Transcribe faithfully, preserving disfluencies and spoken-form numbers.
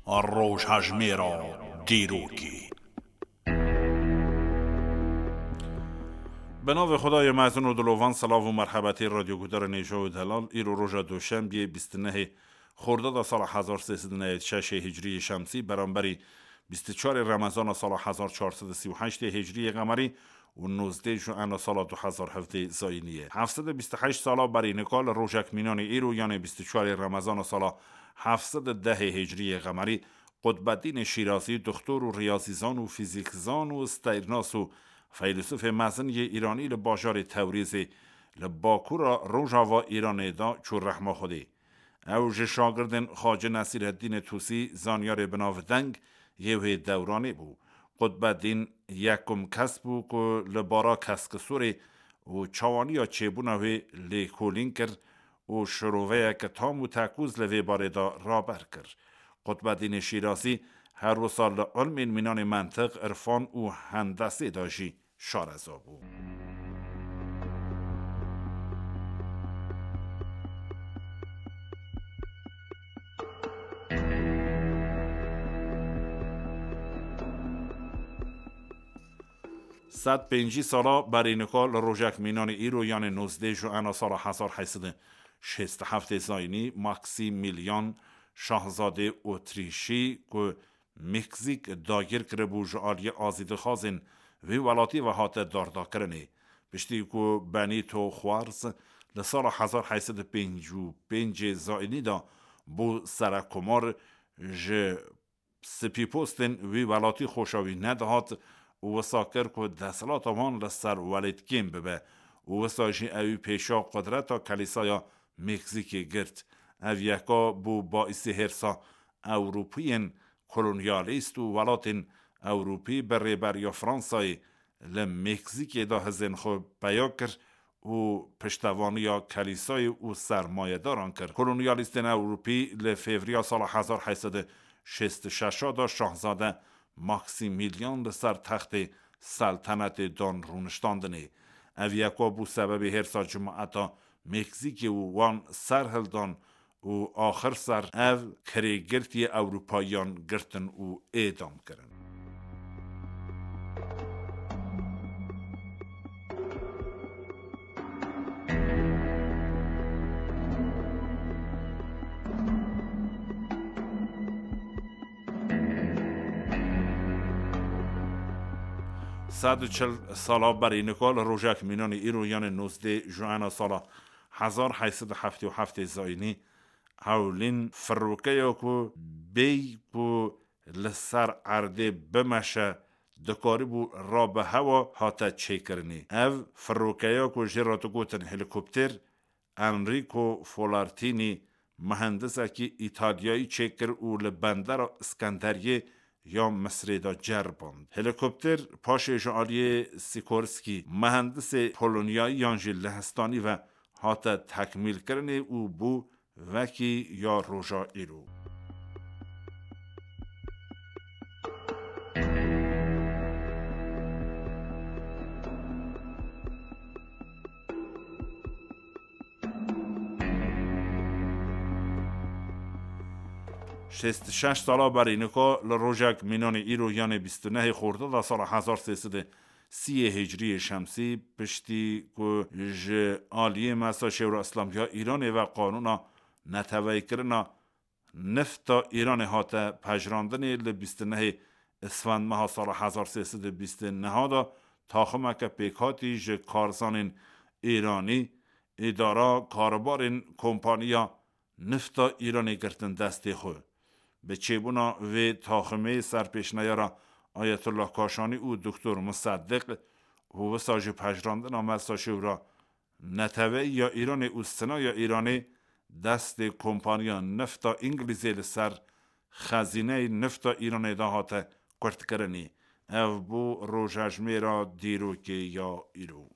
Rojhejmêra dîrokê. Bi navê Xwedayê mezin û dilovan, silav û merhebetê radyoguhdarên hêja û delal. Îro roja Doşembiyê, bîst û nehê Xordada sala hezar sê sed û newed û şeş ê Hicriyê Şemsî, beramberî bîst û çarê Remezana sala hezar çar sed û sî û heşt ê Hicriyê Qemerî û nozdeh Juena sala du hezar hevdeh Zayînî ye. Heft sed û bîst û heşt sala berî nika li rojek mînanê îro, yanê bîst û çarê Remezana sala heft sed û deh ê Hicriyê Qemerî, Qutbedînê Şîrazî, doktor û riyazîzan û fîzîkzan û steyrnas û feylesûfê mezin yê Îranî li bajarê Tewrîzê li bakura rojava Îranê de çû rehma Xwedê. Ew ji şagirdên Xacî Nesîreddînê Tûsî, zanyarê binavdeng yê wê dewranê bû. Qutbedîn yekum kes bû ku li bara keskisorê û çawaniya çêbûna wê lêkolîn kir û şiroveyeke tam û tekûz li vê barê de raber kir. Qutbedînê Şîrazî her wisa li ilmên mînanê mentiq, irfan û hendesê de jî şareza bû. Sed pêncî sala berî nika li rojek mînanê îro, yanê nozdeh Juena sala hezar heyt sed û şêst û heft Zayînî, Maksimîlyan, şahzadê Otrîşî ku Meksîk dagir kiribû, ji aliyê azîdixwazên vê welatî ve hate dardakirinê. Piştî ku Benîto Xuarz li sala hezar heyt sed û pêncî û pêncê Zayînî de bû serekomar, ji spîpostên wî welatî xoşa wî nedihat û wisa kir ku desthilata wan li ser welêt kêm bibe û wisa jî ewî pêşa qudreta Kelîsaya Meksîkê girt. Ev yeka bû baîsê hêrsa Ewropî yên kolonyalîst û welatên Ewropî bi rêberiya Fransayê li Meksîkê de hizên xwe peya kir û piştevaniya Kelîsayê û sermayedaran kir. Kolonyalîstên Ewropî li Fevriya sala hezar heyt sed û şêst û şeş de şahzade Maksimîlyan li ser textê seltenetê dan rûniştandinê. Ev yeka bû sebebê hêrsa cemaeta Meksîkê û wan serhildan û axir ser ev kirêgirtiyê Ewropayiyan girtin û êdam kirin. Sed û çil sala berî nika li rojek mînanê îro, yanê nozdeh Juena sala hezar heyt sed û heftê û heftê Zayînî, ewlîn firokeya ku bêyî ku li ser erdê bimeşe dikaribû rabe hewa hate çêkirinê. Ev firokeya ku jê re digotin helîkopter, Enrico Folartini, muhendisekî Îtalyayî çêkir û li bendera Iskenderiyê ya Misrê de ceriband. Helîkopter paşê ji aliyê Sikorsky, muhendisê Polonyayiyan jî lehistanî ve hate tekmîlkirinê û bû wekî ya roja îro. Şêst û şeş sala berî nika li rojek mînanê îro, yanê bîst û nehê Xordada sala hezar sê sed û sî yê Hicriyê Şemsî, piştî ku ji aliyê Mesa Şêwra Îslamiya Îranê ve qanûna neteweyîkirina nifta Îranê hate pejirandinê, li bîst û nehê Isfend meha sala hezar sê sed û bîst û neh de taximeke pêkhatî ji karzanên Îranî îdara karûbarên kompaniya nifta Îranê girtin destê xwe. Bi çêbûna vê taximê serpêşneyara Ayetullah Kaşanî û Doktor Museddiq û wisa jî pejirandina Mesa Şêwra neteweyî ya Îranê û Sina ya Îranê destê kompaniya nifta Îngilîzê li ser xezîneyê nifta Îranê de hate kurtkirinê. Ev bû rojejmêra dîrokê ya îro.